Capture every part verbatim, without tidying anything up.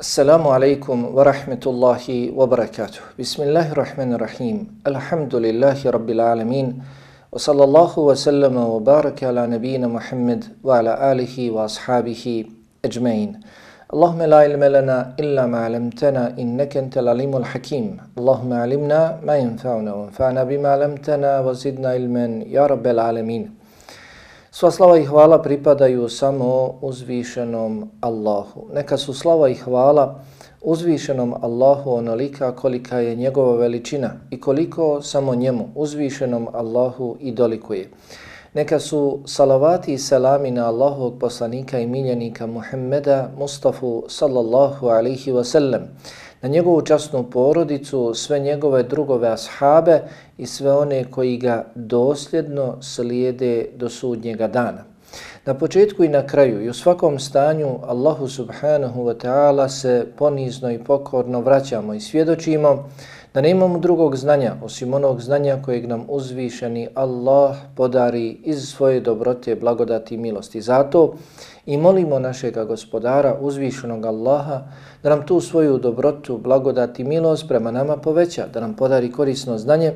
Assalamu alaikum wa rahmetullahi wa barakatuh. Bismillahirrahmanirrahim. Alhamdulillahi rabbil alamin. Wa sallallahu wa sallama wa baraka ala nabina Muhammad wa ala alihi wa ashabihi ajmain. Allahumma la ilma lana illa ma alamtana innaka antal alimul hakim. Allahumma alimna ma yanfa'una wa anfa'na bima alamtana wa zidna ilman ya rabbil alamin. Sva slava i hvala pripadaju samo uzvišenom Allahu. Neka su slava i hvala uzvišenom Allahu onolika kolika je njegova veličina i koliko samo njemu, uzvišenom Allahu, i dolikuje. Neka su salavati i selami na Allahovog poslanika i miljenika Muhammeda Mustafa sallallahu alaihi wa sallam, na njegovu časnu porodicu, sve njegove drugove ashabe i sve one koji ga dosljedno slijede do sudnjega dana. Na početku i na kraju i u svakom stanju Allahu subhanahu wa ta'ala se ponizno i pokorno vraćamo i svjedočimo da nemamo drugog znanja osim onog znanja kojeg nam uzvišeni Allah podari iz svoje dobrote, blagodati i milosti. Zato i molimo našega gospodara, uzvišenog Allaha, da nam tu svoju dobrotu, blagodati i milost prema nama poveća, da nam podari korisno znanje,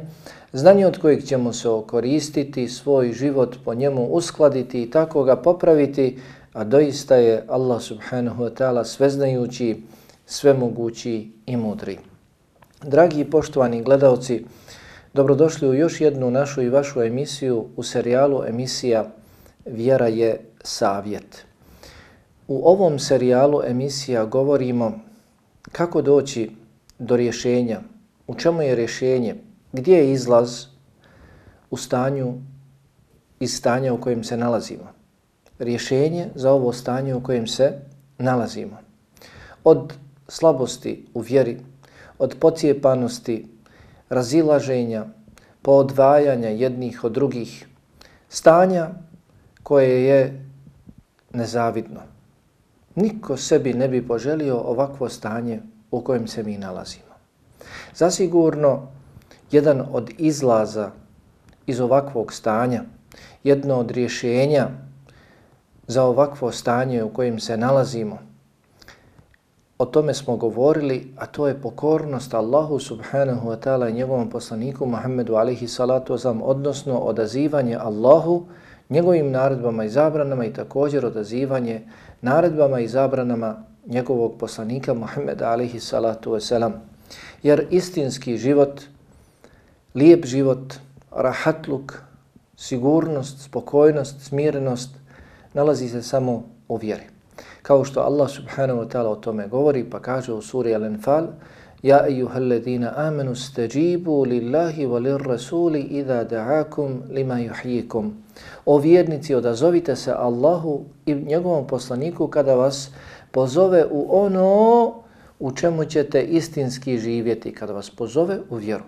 znanje od kojeg ćemo se okoristiti, svoj život po njemu uskladiti i tako ga popraviti, a doista je Allah subhanahu wa ta'ala sveznajući, svemogući i mudri. Dragi i poštovani gledalci, dobrodošli u još jednu našu i vašu emisiju u serijalu emisija Vjera je savjet. U ovom serijalu emisija govorimo kako doći do rješenja, u čemu je rješenje, gdje je izlaz u stanju iz stanja u kojem se nalazimo. Rješenje za ovo stanje u kojem se nalazimo. Od slabosti u vjeri, od pocijepanosti, razilaženja, poodvajanja jednih od drugih, stanja koje je nezavidno. Niko sebi ne bi poželio ovakvo stanje u kojem se mi nalazimo. Zasigurno, jedan od izlaza iz ovakvog stanja, jedno od rješenja za ovakvo stanje u kojem se nalazimo, o tome smo govorili, a to je pokornost Allahu subhanahu wa ta'ala i njegovom poslaniku Muhammedu alaihi salatu wasalam, odnosno odazivanje Allahu, njegovim naredbama i zabranama i također odazivanje naredbama i zabranama njegovog poslanika Muhammeda alaihi salatu wasalam. Jer istinski život, lijep život, rahatluk, sigurnost, spokojnost, smirenost nalazi se samo u vjeri. Kao što Allah subhanahu wa ta'ala o tome govori, pa kaže u suri Al-Anfal: Ja ejuhalladina amanu stajibu lillahi wa lirrasuli idha da'akum lima yuhyikum. O vjernici, odazovite se Allahu i njegovom poslaniku kada vas pozove u ono u čemu ćete istinski živjeti, kada vas pozove u vjeru,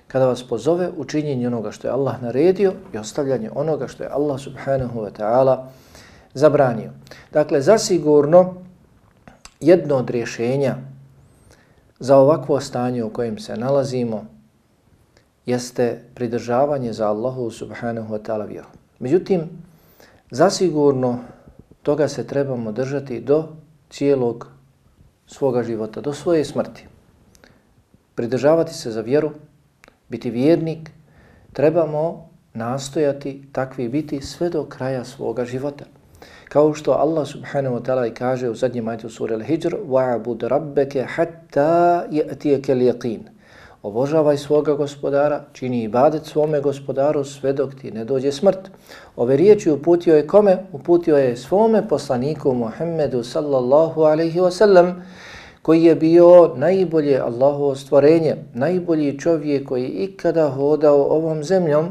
kada vas pozove u činjenje onoga što je Allah naredio i ostavljanje onoga što je Allah subhanahu wa ta'ala zabranio. Dakle, zasigurno jedno od rješenja za ovakvo stanje u kojem se nalazimo jeste pridržavanje za Allahu subhanahu wa ta'ala vjeru. Međutim, zasigurno toga se trebamo držati do cijelog svoga života, do svoje smrti. Pridržavati se za vjeru, biti vjernik, trebamo nastojati takvi biti sve do kraja svoga života. Kao što Allah subhanahu wa ta'ala kaže u zadnjem ajetu sure Al-Hijr: وَعَبُدْ رَبَّكَ حَتَّى يَأْتِيَكَ الْيَقِينَ. Obožavaj svoga gospodara, čini ibadet svome gospodaru sve dok ti ne dođe smrt. Ove riječi uputio je kome? Uputio je svome poslaniku Muhammedu sallallahu alaihi wa sallam, koji je bio najbolje Allahovo stvorenje, najbolji čovjek koji ikada hodao ovom zemljom.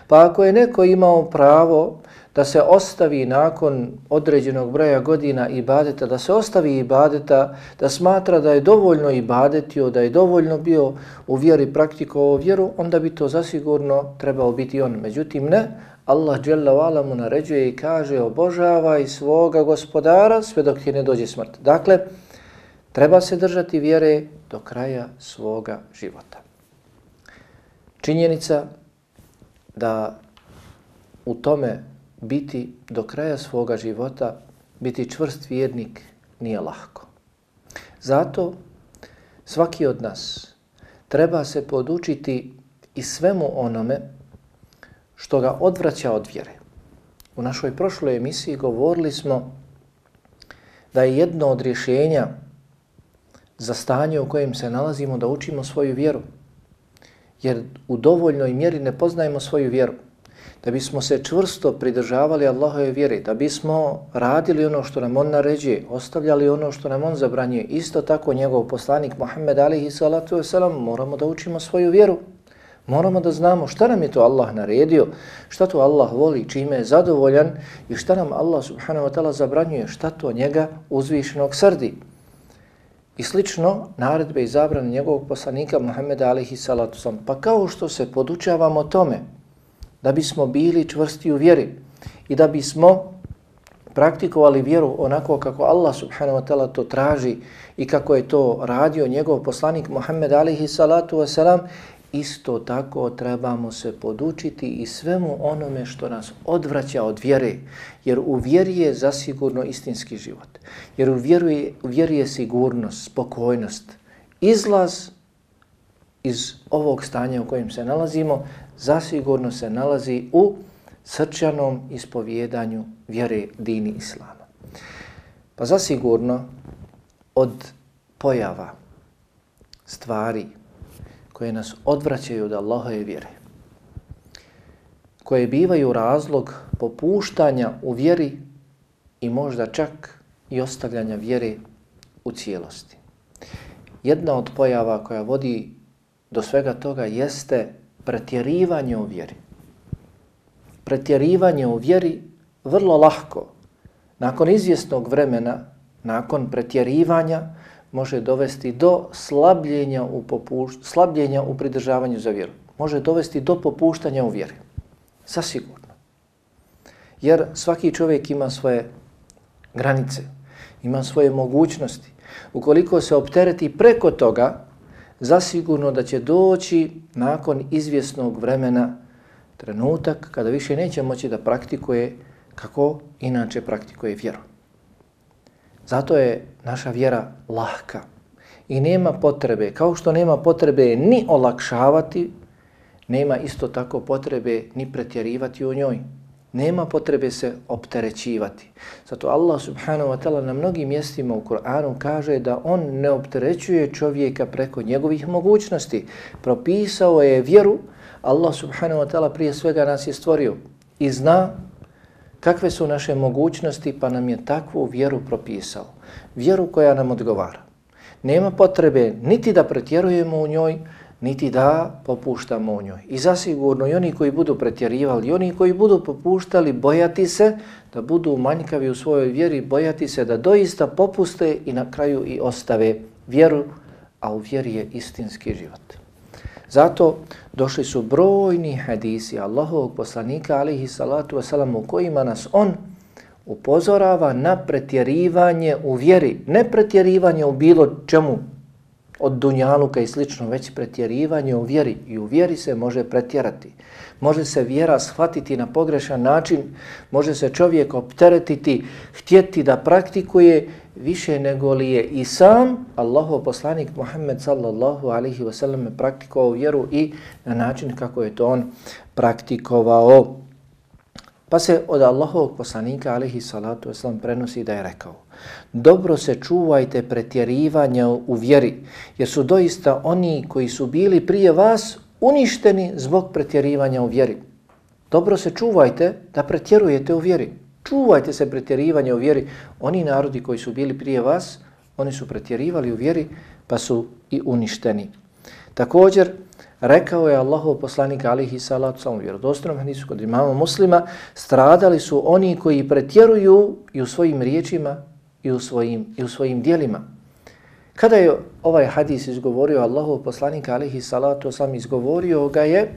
Pa ako je neko imao pravo da se ostavi nakon određenog broja godina ibadeta, da se ostavi ibadeta, da smatra da je dovoljno ibadetio, da je dovoljno bio u vjeri, praktikovao vjeru, onda bi to zasigurno trebao biti on. Međutim ne, Allah dželle ve ala mu naređuje i kaže: obožavaj svoga gospodara sve dok ti ne dođe smrt. Dakle, treba se držati vjere do kraja svoga života. Činjenica da u tome biti do kraja svoga života, biti čvrst vjernik nije lahko. Zato svaki od nas treba se podučiti i svemu onome što ga odvraća od vjere. U našoj prošloj emisiji govorili smo da je jedno od rješenja za stanje u kojem se nalazimo da učimo svoju vjeru. Jer u dovoljnoj mjeri ne poznajemo svoju vjeru. Da bismo se čvrsto pridržavali Allahove vjere, da bismo radili ono što nam on naređuje, ostavljali ono što nam on zabranjuje, isto tako njegov poslanik Muhammed alejhi salatu vesselam, moramo da učimo svoju vjeru. Moramo da znamo šta nam je to Allah naredio, šta to Allah voli, čime je zadovoljan i šta nam Allah subhanahu wa ta'ala zabranjuje, šta to njega uzvišenog srdi. I slično naredbe i zabrane njegovog poslanika Muhammeda alejhi salatu vesselam. Pa kao što se podučavamo tome da bismo bili čvrsti u vjeri i da bismo praktikovali vjeru onako kako Allah subhanahu wa ta'ala to traži i kako je to radio njegov poslanik Muhammed alejhi salatu vesselam, isto tako trebamo se podučiti i svemu onome što nas odvraća od vjere, jer u vjeri je zasigurno istinski život. Jer u vjeri, u vjeri je sigurnost, spokojnost, izlaz iz ovog stanja u kojem se nalazimo, zasigurno se nalazi u srčanom ispovjedanju vjere dini Islama. Pa zasigurno od pojava, stvari koje nas odvraćaju od Allahove vjere, koje bivaju razlog popuštanja u vjeri i možda čak i ostavljanja vjere u cijelosti. Jedna od pojava koja vodi do svega toga jeste pretjerivanje u vjeri. Pretjerivanje u vjeri vrlo lahko, nakon izvjesnog vremena, nakon pretjerivanja, može dovesti do slabljenja u, popušt, slabljenja u pridržavanju za vjeru. Može dovesti do popuštanja u vjeri. Zasigurno. Jer svaki čovjek ima svoje granice, ima svoje mogućnosti. Ukoliko se optereti preko toga, zasigurno da će doći nakon izvjesnog vremena trenutak kada više neće moći da praktikuje kako inače praktikuje vjeru. Zato je naša vjera lahka i nema potrebe, kao što nema potrebe ni olakšavati, nema isto tako potrebe ni pretjerivati u njoj. Nema potrebe se opterećivati. Zato Allah subhanahu wa ta'ala na mnogim mjestima u Kur'anu kaže da on ne opterećuje čovjeka preko njegovih mogućnosti. Propisao je vjeru, Allah subhanahu wa ta'ala prije svega nas je stvorio i zna kakve su naše mogućnosti, pa nam je takvu vjeru propisao. Vjeru koja nam odgovara. Nema potrebe niti da pretjerujemo u njoj, niti da popuštamo u njoj. I zasigurno i oni koji budu pretjerivali, i oni koji budu popuštali, bojati se da budu manjkavi u svojoj vjeri, bojati se da doista popuste i na kraju i ostave vjeru, a u vjeri je istinski život. Zato došli su brojni hadisi Allahovog poslanika alejhi salatu vesselam u kojima nas on upozorava na pretjerivanje u vjeri, ne pretjerivanje u bilo čemu od dunjaluka i slično, već pretjerivanje u vjeri. I u vjeri se može pretjerati. Može se vjera shvatiti na pogrešan način, može se čovjek opteretiti, htjeti da praktikuje više nego li je i sam Allahov poslanik Muhammed sallallahu alaihi wa sallam praktikovao vjeru i na način kako je to on praktikovao. Pa se od Allahovog poslanika alaihi salatu wasalam prenosi da je rekao: dobro se čuvajte pretjerivanja u vjeri, jer su doista oni koji su bili prije vas uništeni zbog pretjerivanja u vjeri. Dobro se čuvajte da pretjerujete u vjeri. Čuvajte se pretjerivanja u vjeri. Oni narodi koji su bili prije vas, oni su pretjerivali u vjeri pa su i uništeni. Također, rekao je Allahov poslanik alejhi salatu vesselam u vjerodostojnom hadisu kod imama Muslima, stradali su oni koji pretjeruju i u svojim riječima i u svojim, i u svojim djelima. Kada je ovaj hadis izgovorio Allahov poslanik alejhi salatu vesselam, izgovorio ga je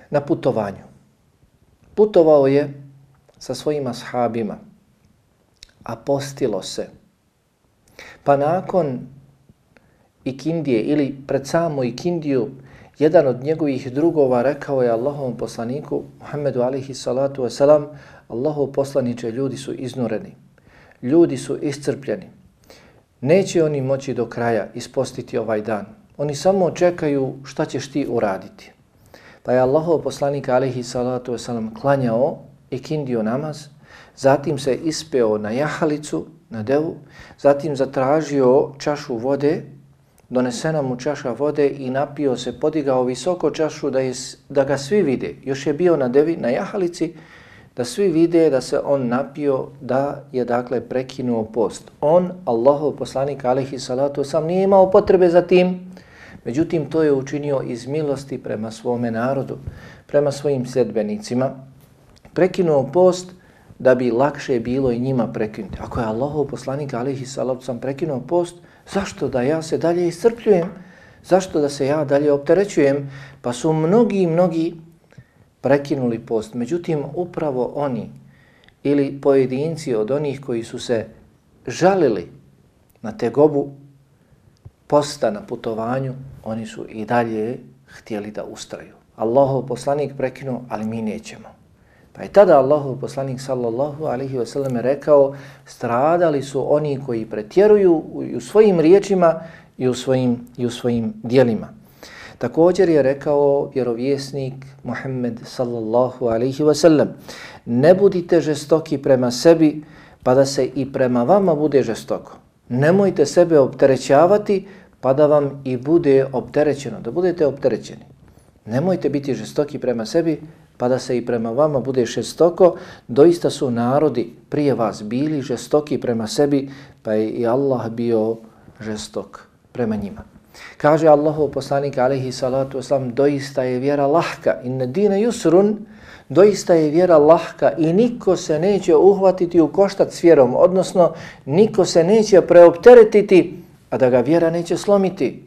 na putovanju. Putovao je sa svojim ashabima, a postilo se. Pa nakon ikindije ili pred samo ikindiju, jedan od njegovih drugova rekao je Allahovom poslaniku Muhammedu alejhi salatu vesselam: Allahov poslaniče, ljudi su iznureni, ljudi su iscrpljeni, neće oni moći do kraja ispostiti ovaj dan. Oni samo čekaju šta ćeš ti uraditi. Pa je Allahov poslanik alejhi salatu vesselam klanjao ikindio namaz, zatim se ispeo na jahalicu, na devu, zatim zatražio čašu vode, donesena mu čaša vode i napio se, podigao visoko čašu da, je, da ga svi vide. Još je bio na devi, na jahalici, da svi vide da se on napio, da je dakle prekinuo post. On, Allahov poslanik alejhi salatu vesselam, nije imao potrebe za tim, međutim to je učinio iz milosti prema svome narodu, prema svojim sljedbenicima. Prekinuo post da bi lakše bilo i njima prekinuti. Ako je Allahov poslanik alejhi salatu vesselam prekinuo post, zašto da ja se dalje iscrpljujem? Zašto da se ja dalje opterećujem? Pa su mnogi, mnogi prekinuli post. Međutim, upravo oni ili pojedinci od onih koji su se žalili na tegobu posta na putovanju, oni su i dalje htjeli da ustraju. Allahov poslanik prekinuo, ali mi nećemo. Pa je tada Allahov poslanik sallallahu alejhi ve sellem rekao, stradali su oni koji pretjeruju u svojim riječima i u svojim, i u svojim djelima. Također je rekao vjerovjesnik Muhammed sallallahu alejhi ve sellem, ne budite žestoki prema sebi pa da se i prema vama bude žestoko. Nemojte sebe opterećavati pa da vam i bude opterećeno, da budete opterećeni. Nemojte biti žestoki prema sebi pa da se i prema vama bude žestoko. Doista su narodi prije vas bili žestoki prema sebi, pa je i Allah bio žestok prema njima. Kaže Allahov poslanik alejhi salatu vesselam, doista je vjera lahka, inna dine yusrun, doista je vjera lahka i niko se neće uhvatiti u koštac s vjerom, odnosno niko se neće preopteretiti, a da ga vjera neće slomiti.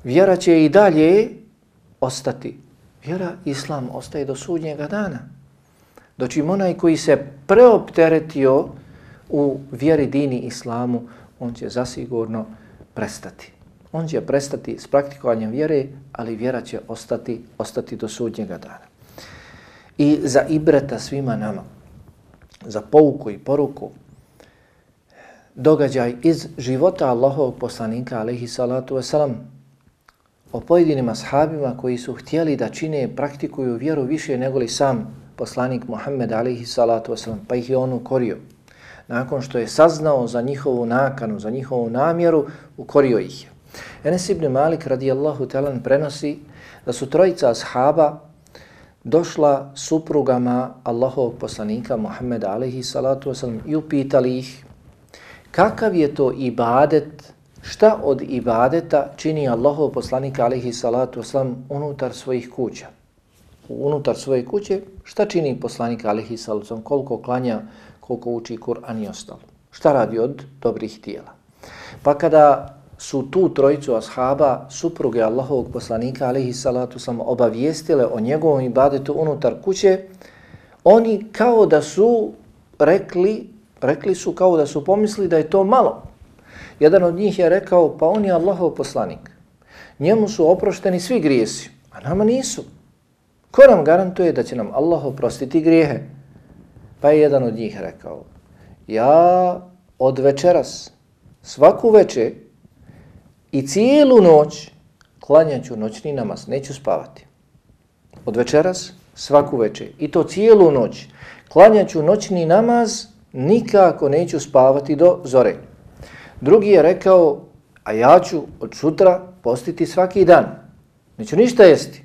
Vjera će i dalje ostati. Vjera, islam, ostaje do sudnjega dana. Dočim onaj koji se preopteretio u vjeri dini islamu, on će zasigurno prestati. On će prestati s praktikovanjem vjere, ali vjera će ostati, ostati do sudnjega dana. I za ibreta svima nama, za pouku i poruku, događaj iz života Allahovog poslanika alejhi salatu vesselam, o pojedinim ashabima koji su htjeli da čine, praktikuju vjeru više nego li sam poslanik Muhammed alejhi salatu vesselam, pa ih je on ukorio. Nakon što je saznao za njihovu nakanu, za njihovu namjeru, ukorio ih je. Enes ibn Malik radijallahu ta'ala prenosi da su trojica ashaba došla suprugama Allahovog poslanika Muhammeda alejhi salatu vesselam i upitali ih kakav je to ibadet, šta od ibadeta čini Allahov poslanik alejhi salatu vesselam unutar svojih kuća. Unutar svoje kuće šta čini poslanik alejhi salatu vesselam, koliko klanja, koliko uči Kur'an i ostalo. Šta radi od dobrih djela. Pa kada su tu trojicu ashaba, supruge Allahovog poslanika alejhi salatu vesselam obavijestile o njegovom ibadetu unutar kuće, oni kao da su rekli, rekli su kao da su pomislili da je to malo. Jedan od njih je rekao, pa on je Allahov poslanik. Njemu su oprošteni svi grijesi, a nama nisu. Ko nam garantuje da će nam Allah oprostiti grijehe? Pa je jedan od njih rekao, ja od večeras, svaku večer i cijelu noć klanjaću noćni namaz, neću spavati. Od večeras, svaku večer i to cijelu noć klanjaću noćni namaz, nikako neću spavati do zore. Drugi je rekao, a ja ću od sutra postiti svaki dan. Neću ništa jesti.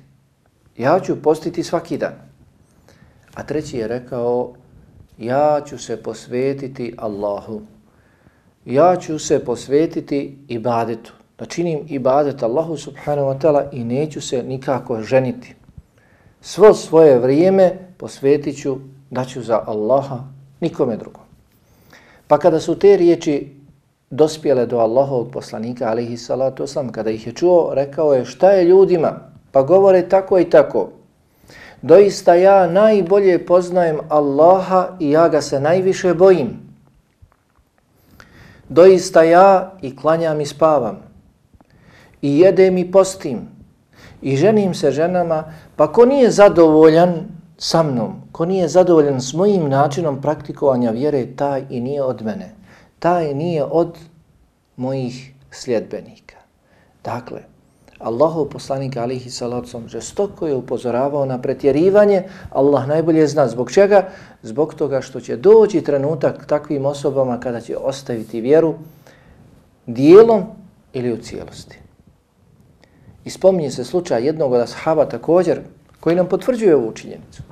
Ja ću postiti svaki dan. A treći je rekao, ja ću se posvetiti Allahu. Ja ću se posvetiti ibadetu. Da činim ibadet Allahu subhanahu wa ta'ala i neću se nikako ženiti. Svo svoje vrijeme posvetit ću, daću za Allaha, nikome drugom. Pa kada su te riječi dospjele do Allahovog poslanika alejhi salatu vesselam, kada ih je čuo, rekao je, šta je ljudima? Pa govore tako i tako. Doista ja najbolje poznajem Allaha i ja ga se najviše bojim. Doista ja i klanjam i spavam. I jedem i postim. I ženim se ženama, pa ko nije zadovoljan sa mnom, ko nije zadovoljan s mojim načinom praktikovanja vjere, taj i nije od mene. Taj nije od mojih sljedbenika. Dakle, Allahov poslanik alihi salatu žestoko je upozoravao na pretjerivanje. Allah najbolje zna zbog čega? Zbog toga što će doći trenutak takvim osobama kada će ostaviti vjeru dijelom ili u cijelosti. I spominje se slučaj jednog od ashaba također koji nam potvrđuje ovu činjenicu.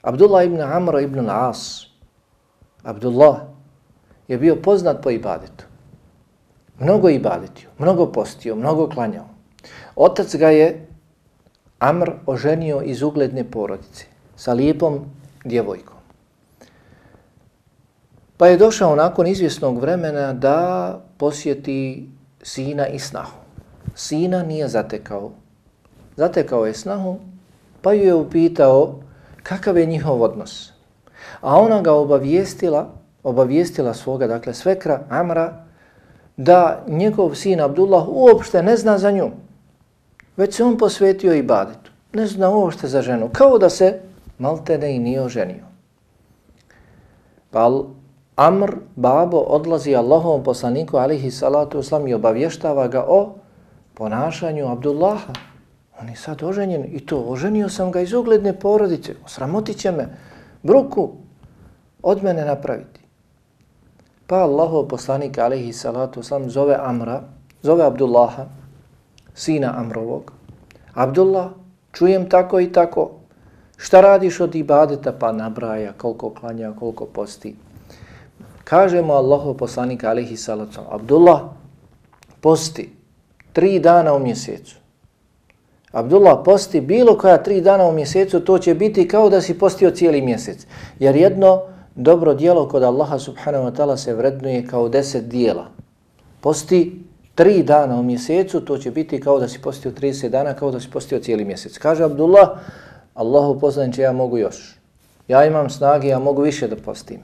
Abdullah ibn Amr ibn al-As. Abdullah je bio poznat po ibadetu. Mnogo ibadetio, mnogo postio, mnogo klanjao. Otac ga je Amr oženio iz ugledne porodice sa lijepom djevojkom. Pa je došao nakon izvjesnog vremena da posjeti sina i snahu. Sina nije zatekao. Zatekao je snahu, pa ju je upitao kakav je njihov odnos. A ona ga obavijestila, obavijestila svoga, dakle svekra Amra, da njegov sin Abdullah uopšte ne zna za nju, već se on posvetio ibadetu. Ne zna uopšte za ženu, kao da se maltene i nije oženio. Pa Amr, babo, odlazi Allahovom poslaniku alihi salatu wasalam i obavještava ga o ponašanju Abdullaha. On je sad oženjen i to, oženio sam ga iz ugledne porodice, osramotit će me, bruku od mene napraviti. Pa Allahov poslanik alihi salatu wasalam zove Amra, zove Abdullaha, sina Amrovog. Abdullah, čujem tako i tako, šta radiš od ibadeta? Pa nabraja koliko klanja, koliko posti. Kaže mu Allahov poslanik alihi salatu wasalam, Abdullah, posti tri dana u mjesecu. Abdullah, posti bilo koja tri dana u mjesecu, to će biti kao da si postio cijeli mjesec. Jer jedno dobro djelo kod Allaha subhanahu wa ta'ala se vrednuje kao deset dijela. Posti tri dana u mjesecu, to će biti kao da si postio trideset dana, kao da si postio cijeli mjesec. Kaže Abdullah, Allahu poslaniče, ja mogu još. Ja imam snage, ja mogu više da postim.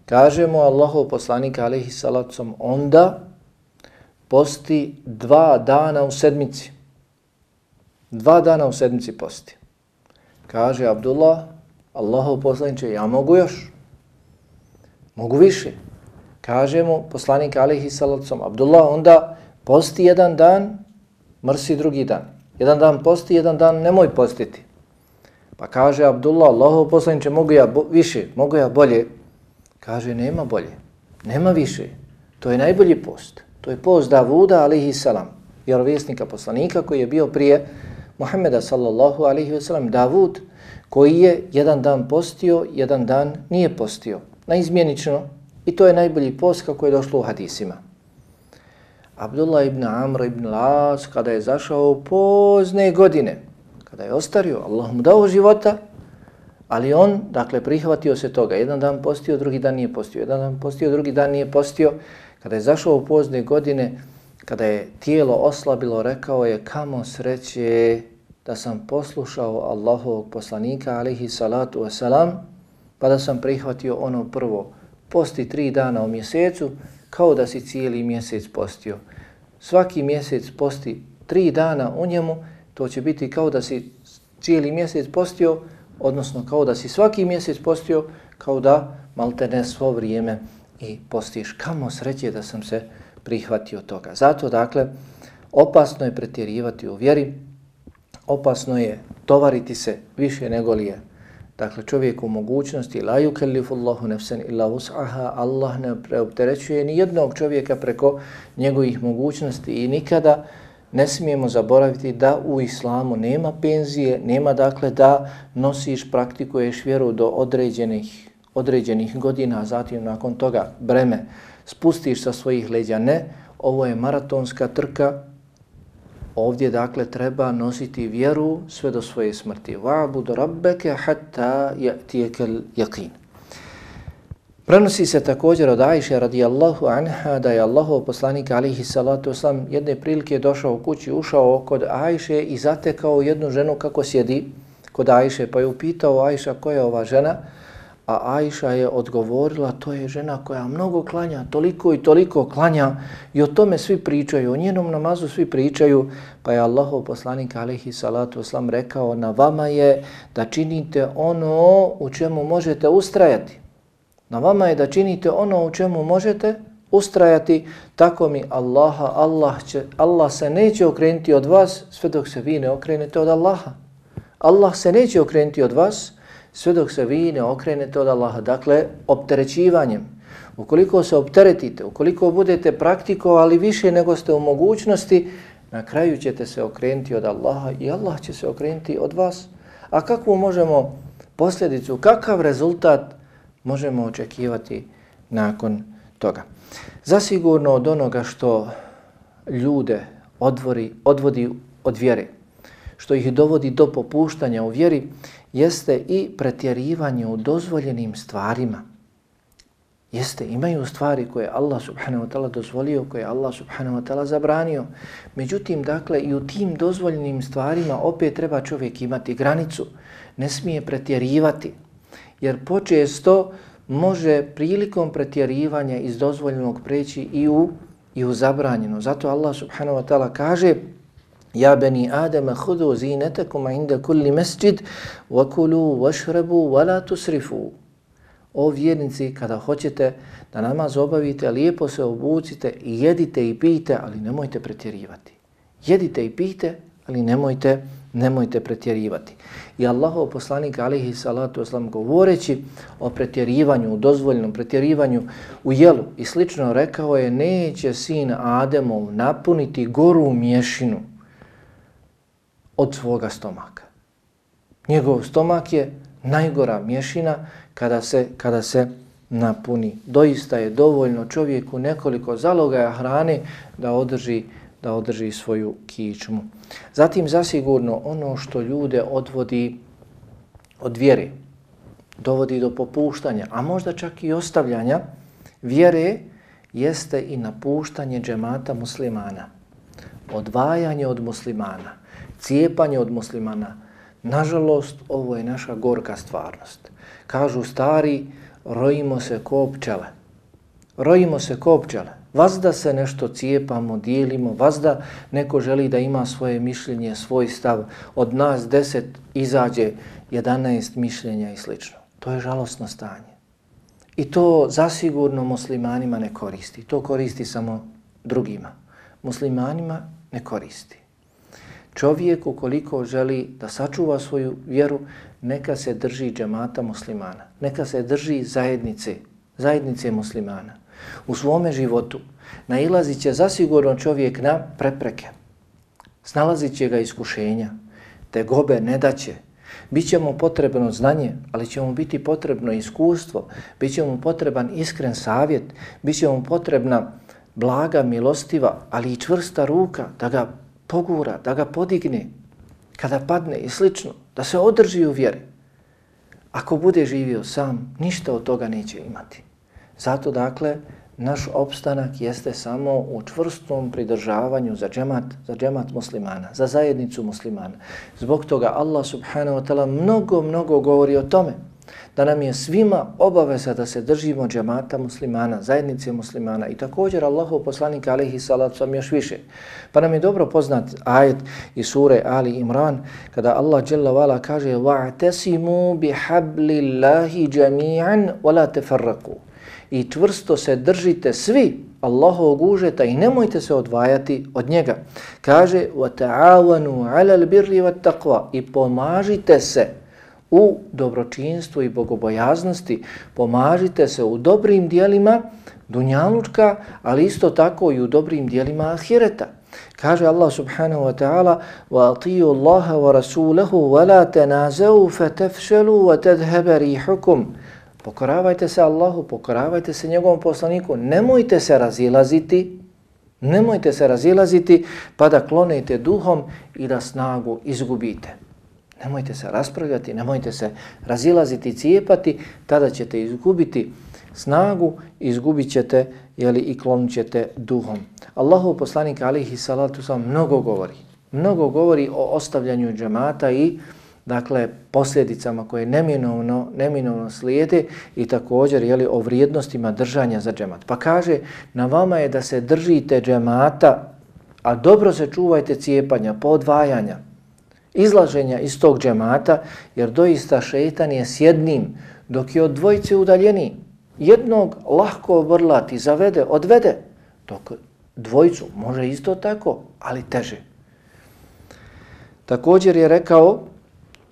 Kaže mu Allahov poslanik alejhi salatu onda posti dva dana u sedmici. Dva dana u sedmici posti. Kaže Abdullah, Allahov poslaniče, ja mogu još. Mogu više. Kaže mu poslanik alejhi salatu Abdullah, onda posti jedan dan, mrsi drugi dan. Jedan dan posti, jedan dan nemoj postiti. Pa kaže Abdullah, Allahov poslaniče, mogu ja više, mogu ja bolje. Kaže, nema bolje, nema više. To je najbolji post. To je post Davuda alejhi salam, vjerovjesnika poslanika koji je bio prije Muhammeda sallallahu alejhi ve sellem. Davud koji je jedan dan postio, jedan dan nije postio. Naizmjenično. I to je najbolji post kako je došlo u hadisima. Abdullah ibn Amr ibn al-As kada je zašao u pozne godine, kada je ostario, Allah mu dao života, ali on, dakle, prihvatio se toga. Jedan dan postio, drugi dan nije postio. Jedan dan postio, drugi dan nije postio. Kada je zašao u pozne godine, kada je tijelo oslabilo, rekao je, kamo sreće da sam poslušao Allahovog poslanika, alejhi salatu wasalam, pa da sam prihvatio ono prvo. Posti tri dana u mjesecu, kao da si cijeli mjesec postio. Svaki mjesec posti tri dana u njemu, to će biti kao da si cijeli mjesec postio, odnosno kao da si svaki mjesec postio, kao da maltene svo vrijeme i postiš. Kamo sreće da sam se prihvatio toga. Zato, dakle, opasno je pretjerivati u vjeri, opasno je tovariti se više nego li je. Dakle, čovjek u mogućnosti, la yukallifu Allahu nafsan illa wus'aha, Allah ne preopterećuje ni jednog čovjeka preko njegovih mogućnosti i nikada ne smijemo zaboraviti da u islamu nema penzije, nema dakle da nosiš, praktikuješ vjeru do određenih, određenih godina, a zatim nakon toga breme spustiš sa svojih leđa. Ne, ovo je maratonska trka. Ovdje dakle treba nositi vjeru sve do svoje smrti. Wa'bud rabbaka hatta ya'tiyakal yaqin. Prenosi se također od Ajše radijallahu anha da je Allahov poslanik alejhi salatu wasalam jedne prilike došao u kući, ušao kod Ajše i zatekao jednu ženu kako sjedi kod Ajše, pa je upitao Ajša koja je ova žena, a Ajša je odgovorila, to je žena koja mnogo klanja, toliko i toliko klanja i o tome svi pričaju, o njenom namazu svi pričaju, pa je Allahov poslanik alejhi salatu wasalam rekao, na vama je da činite ono u čemu možete ustrajati. Na vama je da činite ono u čemu možete ustrajati, tako mi Allaha, Allah, će, Allah se neće okrenuti od vas sve dok se vi ne okrenete od Allaha. Allah se neće okrenuti od vas sve dok se vi ne okrenete od Allaha. Dakle, opterećivanjem. Ukoliko se opteretite, ukoliko budete praktikovali više nego ste u mogućnosti, na kraju ćete se okrenuti od Allaha i Allah će se okrenuti od vas. A kakvu možemo posljedicu, kakav rezultat možemo očekivati nakon toga? Zasigurno od onoga što ljude odvori, odvodi od vjere, što ih dovodi do popuštanja u vjeri, jeste i pretjerivanje u dozvoljenim stvarima. Jeste, imaju stvari koje Allah subhanahu wa ta'ala dozvolio, koje Allah subhanahu wa ta'ala zabranio. Međutim, dakle, i u tim dozvoljenim stvarima opet treba čovjek imati granicu. Ne smije pretjerivati, jer počesto može prilikom pretjerivanja iz dozvoljenog preći i u, i u zabranjeno. Zato Allah subhanahu wa ta'ala kaže: Ja bani Adama hudu zinetakum inda kulli masjid wa kulu washrabu wa la tusrifu. O vjernici, kada hoćete da namaz obavite, lijepo se obucite i jedite i pijte, ali nemojte pretjerivati. Jedite i pijte, ali nemojte, nemojte pretjerivati. I Allahov poslanik alejhi salatu vesselam govoreći o pretjerivanju, u dozvoljenom pretjerivanju u jelu i slično rekao je: neće sin Ademov napuniti goru mješinu od svoga stomaka. Njegov stomak je najgora mješina kada se, kada se napuni. Doista je dovoljno čovjeku nekoliko zalogaja hrane da održi, da održi svoju kičmu. Zatim zasigurno ono što ljude odvodi od vjere, dovodi do popuštanja, a možda čak i ostavljanja vjere, jeste i napuštanje džemata muslimana. Odvajanje od muslimana, cijepanje od muslimana. Nažalost, ovo je naša gorka stvarnost. Kažu stari, rojimo se ko pčele. Rojimo se ko pčele. Vazda se nešto cijepamo, dijelimo, vazda neko želi da ima svoje mišljenje, svoj stav. Od nas deset izađe jedanaest mišljenja i slično. To je žalosno stanje. I to zasigurno muslimanima ne koristi. To koristi samo drugima. Muslimanima ne koristi. Čovjek ukoliko želi da sačuva svoju vjeru, neka se drži džemata muslimana, neka se drži zajednice, zajednice muslimana. U svome životu nailazit će zasigurno čovjek na prepreke, snalazit će ga iskušenja, tegobe ne daće. Biće mu potrebno znanje, ali će mu biti potrebno iskustvo, bit će mu potreban iskren savjet, bit će mu potrebna blaga, milostiva, ali i čvrsta ruka da ga pogura, da ga podigne kada padne i slično, da se održi u vjeri. Ako bude živio sam, ništa od toga neće imati. Zato dakle, naš opstanak jeste samo u čvrstom pridržavanju za džemat, za džemat muslimana, za zajednicu muslimana. Zbog toga Allah subhanahu wa ta'ala mnogo, mnogo govori o tome da nam je svima obaveza da se držimo džemata muslimana, zajednice muslimana. I također Allahov poslanik alejhi salatu vesselam još više. Pa nam je dobro poznat ajet iz sure Ali Imran kada Allah dželle ve ala kaže: "Wa'tasimu bihablillahi jami'an wa la tafarraqu." I čvrsto se držite svi Allahovog užeta i nemojte se odvajati od njega. Kaže: "Wa-ta'awanu 'alal birri wat-taqwa." I pomažite se u dobročinstvu i bogobojaznosti, pomažite se u dobrim dijelima dunjalučka, ali isto tako i u dobrim dijelima ahireta. Kaže Allah subhanahu wa ta'ala: وَأَطِيُوا اللَّهَ وَرَسُولَهُ وَلَا تَنَازَوْا فَتَفْشَلُوا وَتَذْهَبَ رِيحُكُمْ. Pokoravajte se Allahu, pokoravajte se njegovom poslaniku, nemojte se razilaziti, nemojte se razilaziti pa da klonete duhom i da snagu izgubite. Nemojte se raspravljati, nemojte se razilaziti i cijepati, tada ćete izgubiti snagu, izgubit ćete jeli, i klonit ćete duhom. Allahov poslanik alejhi salatu vesselam mnogo govori, mnogo govori o ostavljanju džemata i dakle posljedicama koje neminovno, neminovno slijede i također jeli, o vrijednostima držanja za džemat. Pa kaže: na vama je da se držite džemata, a dobro se čuvajte cijepanja, podvajanja, izlaženja iz tog džemata, jer doista šejtan je s jednim, dok je od dvojice udaljeniji. jednog lahko obrlati, zavede, odvede, dok dvojicu može isto tako, ali teže. Također je rekao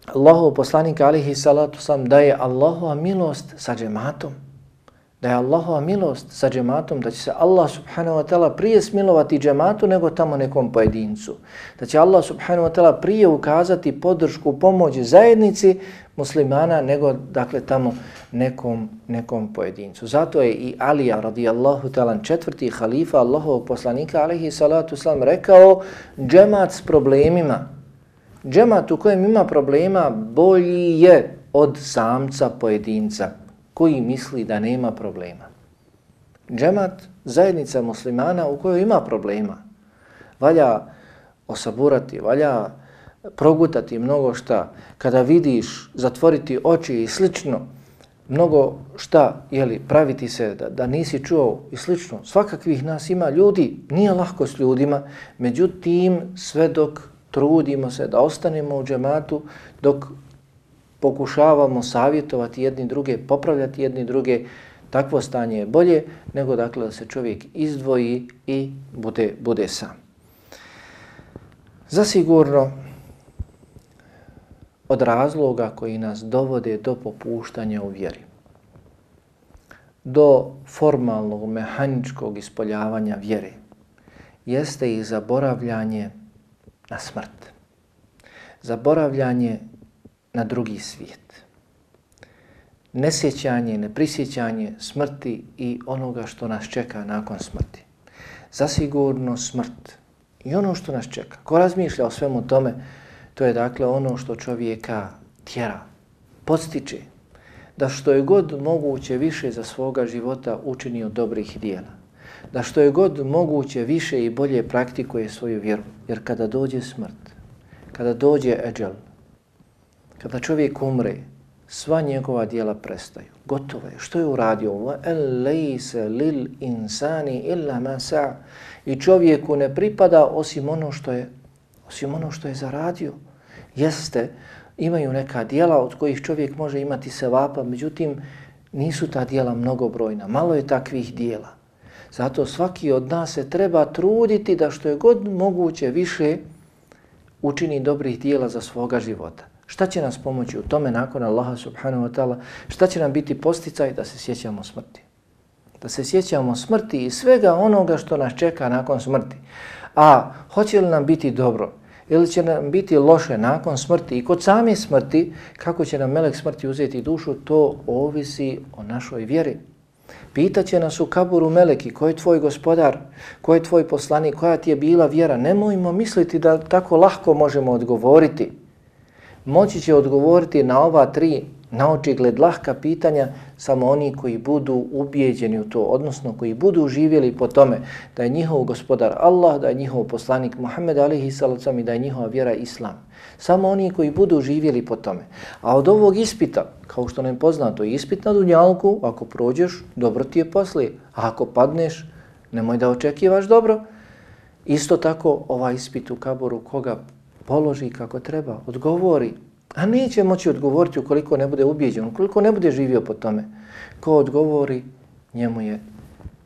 Allahov poslanik alihi salatu sam da je Allahova milost sa džematom, da je Allahova milost sa džematom, da će se Allah subhanahu wa ta'ala prije smilovati džematu nego tamo nekom pojedincu. Da će Allah subhanahu wa ta'ala prije ukazati podršku, pomoć zajednici muslimana nego dakle tamo nekom, nekom pojedincu. Zato je i Alija radijallahu ta'ala četvrti halifa Allahovog poslanika alihi salatu sam rekao džemat s problemima, džemat u kojem ima problema bolji je od samca pojedinca koji misli da nema problema. Džemat, zajednica muslimana u kojoj ima problema. Valja osaburati, valja progutati mnogo šta. Kada vidiš, zatvoriti oči i slično, mnogo šta, jeli, praviti se da, da nisi čuo i slično. Svakakvih nas ima ljudi, nije lahko s ljudima, međutim sve dok trudimo se da ostanemo u džematu, dok pokušavamo savjetovati jedni druge, popravljati jedni druge, takvo stanje je bolje nego dakle da se čovjek izdvoji i bude, bude sam. Zasigurno od razloga koji nas dovode do popuštanja u vjeri, do formalnog, mehaničkog ispoljavanja vjere, jeste i zaboravljanje na smrt. Zaboravljanje na drugi svijet. Nesjećanje, neprisjećanje smrti i onoga što nas čeka nakon smrti. Zasigurno smrt i ono što nas čeka. Ko razmišlja o svemu tome, to je dakle ono što čovjeka tjera, podstiče, da što je god moguće više za svoga života učini od dobrih dijela. Da što je god moguće više i bolje praktikuje svoju vjeru. Jer kada dođe smrt, kada dođe eđel, kada čovjek umre, sva njegova djela prestaju. Gotovo je. Što je uradio? وَأَلَّيْسَ لِلْإِنسَانِ إِلَّا مَا سَعَ. I čovjeku ne pripada osim ono što je, osim ono što je zaradio. Jeste, imaju neka djela od kojih čovjek može imati sevapa, međutim nisu ta djela mnogobrojna. Malo je takvih djela. Zato svaki od nas se treba truditi da što je god moguće više učini dobrih djela za svoga života. Šta će nas pomoći u tome nakon Allaha subhanahu wa ta'ala? Šta će nam biti posticaj? Da se sjećamo smrti. Da se sjećamo smrti i svega onoga što nas čeka nakon smrti. A hoće li nam biti dobro? Ili će nam biti loše nakon smrti i kod same smrti, kako će nam melek smrti uzeti dušu, to ovisi o našoj vjeri. Pitaće nas u kaburu meleki, ko je tvoj gospodar, ko je tvoj poslanik, koja ti je bila vjera. Nemojmo misliti da tako lahko možemo odgovoriti. Moći će odgovoriti na ova tri naočigled lahka pitanja samo oni koji budu ubijeđeni u to, odnosno koji budu živjeli po tome da je njihov gospodar Allah, da je njihov poslanik Muhammed alihi salacom i da je njihova vjera Islam. Samo oni koji budu živjeli po tome. A od ovog ispita, kao što nam je poznato, ispit na dunjalku, ako prođeš, dobro ti je poslije. A ako padneš, nemoj da očekivaš dobro. Isto tako ovaj ispit u kaburu, koga položi kako treba, odgovori. A neće moći odgovoriti ukoliko ne bude ubijeđen, ukoliko ne bude živio po tome. Ko odgovori, njemu je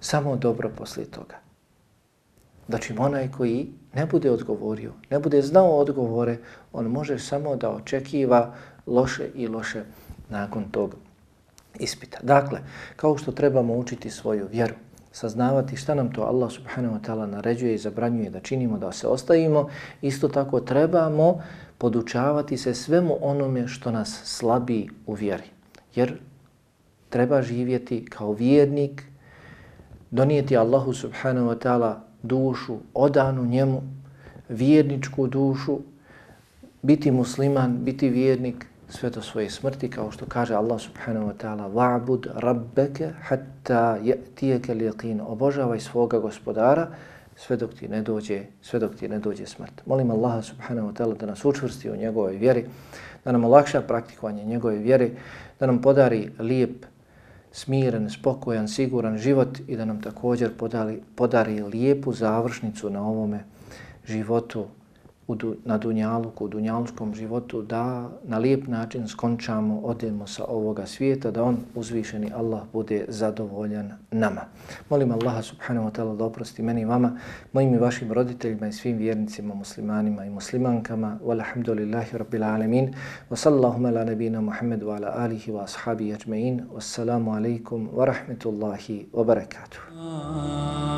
samo dobro poslije toga. Znači onaj koji ne bude odgovorio, ne bude znao odgovore, on može samo da očekiva loše i loše nakon tog ispita. Dakle, kao što trebamo učiti svoju vjeru, saznavati šta nam to Allah subhanahu wa ta'ala naređuje i zabranjuje da činimo, da se ostavimo, isto tako trebamo podučavati se svemu onome što nas slabi u vjeri. Jer treba živjeti kao vjernik, donijeti Allahu subhanahu wa ta'ala dušu, odanu njemu, vjerničku dušu, biti musliman, biti vjernik sve do svoje smrti, kao što kaže Allah subhanahu wa ta'ala wa'bud rabbeke hatta ya'tiyaka al-yaqin. Obožavaj svoga gospodara sve dok ti ne dođe, sve dok ti ne dođe smrt. Molim Allaha subhanahu wa ta'ala da nas učvrsti u njegovoj vjeri, da nam olakša praktikovanje njegove vjere, da nam podari lijep, smiren, spokojan, siguran život i da nam također podari, podari lijepu završnicu na ovome životu u du, na dunjaluku, u dunjalučkom životu, da na lijep način skončamo, odemo sa ovoga svijeta, da on, uzvišeni Allah, bude zadovoljan nama. Molim Allaha subhanahu wa ta'ala da oprosti meni i vama, mojim i vašim roditeljima i svim vjernicima, muslimanima i muslimankama. Walhamdulillahi rabbil alamin. Wa sallallahu ala nabina Muhammedu wa ala alihi wa ashabihi ajma'in. Wassalamu alaikum wa rahmetullahi wa barakatuh.